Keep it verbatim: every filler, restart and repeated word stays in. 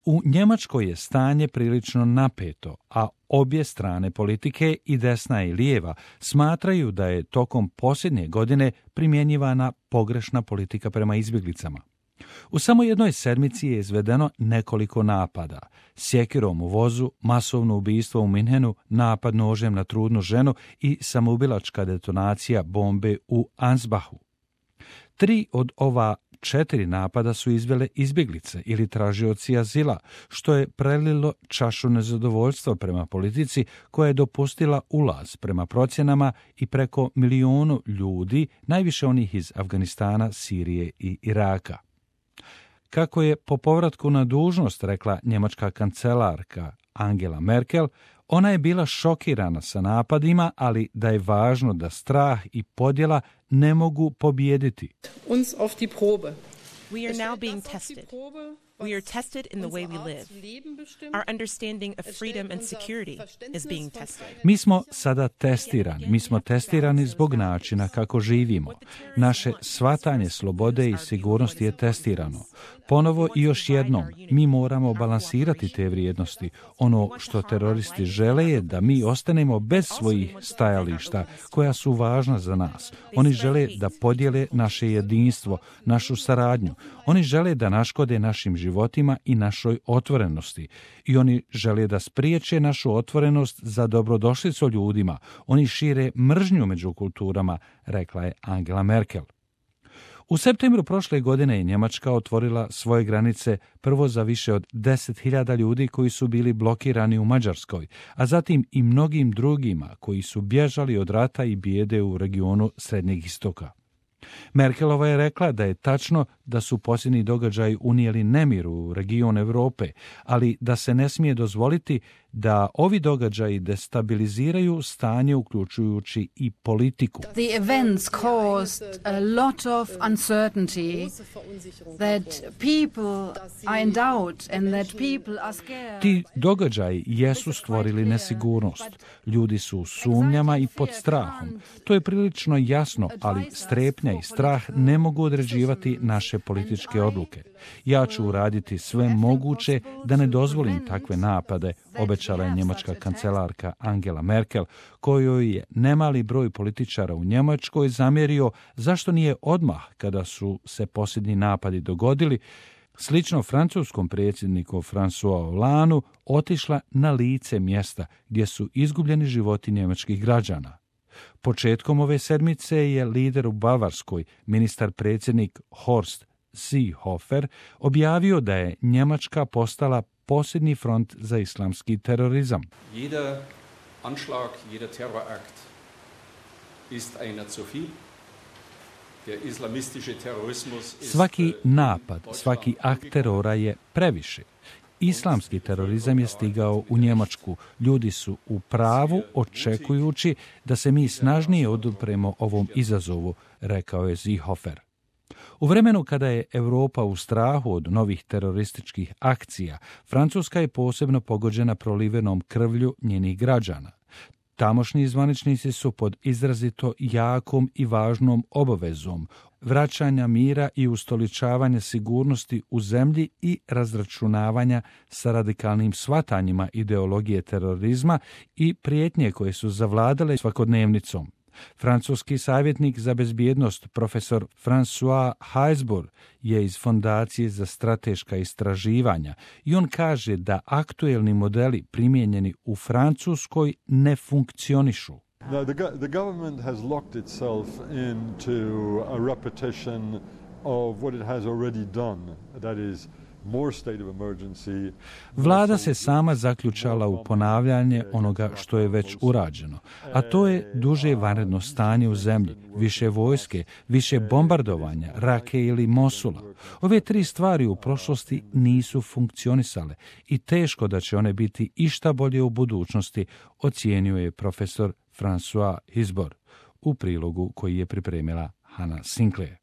U Njemačkoj je stanje prilično napeto, a obje strane politike, i desna i lijeva, smatraju da je tokom posljednje godine primjenjivana pogrešna politika prema izbjeglicama. U samo jednoj sedmici je izvedeno nekoliko napada. Sjekirom u vozu, masovno ubistvo u Minhenu, napad nožem na trudnu ženu i samoubilačka detonacija bombe u Ansbachu. Tri od ova četiri napada su izvele izbjeglice ili tražioci azila, što je prelilo čašu nezadovoljstva prema politici koja je dopustila ulaz prema procjenama i preko milijunu ljudi, najviše onih iz Afganistana, Sirije i Iraka. Kako je po povratku na dužnost rekla njemačka kancelarka Angela Merkel, ona je bila šokirana sa napadima, ali da je važno da strah i podjela ne mogu pobijediti. Uns auf die Probe. We are now being tested. We are tested in the way we live. Our understanding of freedom and security is being tested. Mi smo sada testirani. Mi smo testirani zbog načina kako živimo. Naše shvatanje slobode i sigurnosti je testirano. Ponovo i još jednom, mi moramo balansirati te vrijednosti. Ono što teroristi žele je da mi ostanemo bez svojih stajališta koja su važna za nas. Oni žele da podijele naše jedinstvo, našu saradnju. Oni žele da naškode našim životima i našoj otvorenosti. I oni žele da spriječe našu otvorenost za dobrodošlicu ljudima. Oni šire mržnju među kulturama, rekla je Angela Merkel. U septembru prošle godine je Njemačka otvorila svoje granice prvo za više od deset hiljada ljudi koji su bili blokirani u Mađarskoj, a zatim i mnogim drugima koji su bježali od rata i bijede u regionu Srednjeg istoka. Merkelova je rekla da je tačno da su posljednji događaji unijeli nemir u region Europe, ali da se ne smije dozvoliti da ovi događaji destabiliziraju stanje uključujući i politiku. The events caused a lot of uncertainty, that people are in doubt and that people are scared. Ti događaji jesu stvorili nesigurnost. Ljudi su u sumnjama i pod strahom. To je prilično jasno, ali strepnja i strah ne mogu određivati naše političke odluke. Ja ću uraditi sve moguće da ne dozvolim takve napade, obećala je njemačka kancelarka Angela Merkel, kojoj je nemali broj političara u Njemačkoj zamjerio zašto nije odmah, kada su se posljednji napadi dogodili, slično francuskom predsjedniku François Hollandeu, otišla na lice mjesta gdje su izgubljeni životi njemačkih građana. Početkom ove sedmice je lider u Bavarskoj, ministar predsjednik Horst Seehofer, objavio da je Njemačka postala posljednji front za islamski terorizam. Jeder Anschlag, jeder Terrorakt ist einer zu viel. Der islamistische Terrorismus ist Svaki napad, svaki akt terora je previše. Islamski terorizam je stigao u Njemačku. Ljudi su u pravu očekujući da se mi snažnije odupremo ovom izazovu, rekao je Seehofer. U vremenu kada je Europa u strahu od novih terorističkih akcija, Francuska je posebno pogođena prolivenom krvlju njenih građana. Tamošnji zvaničnici su pod izrazito jakom i važnom obavezom vraćanja mira i ustoličavanja sigurnosti u zemlji i razračunavanja sa radikalnim shvatanjima ideologije terorizma i prijetnje koje su zavladale svakodnevnicom. Francuski savjetnik za bezbjednost profesor François Heisbourg je iz Fondacije za strateška istraživanja i on kaže da aktuelni modeli primijenjeni u Francuskoj ne funkcionišu. No, the, go- the government has locked itself into a repetition of what it has already done, that is more state of emergency. Vlada se sama zaključala u ponavljanje onoga što je već urađeno, a to je duže vanredno stanje u zemlji, više vojske, više bombardovanja, Rake ili Mosula. Ove tri stvari u prošlosti nisu funkcionisale i teško da će one biti išta bolje u budućnosti, ocijenio je profesor François Heisbourg u prilogu koji je pripremila Hannah Sinclair.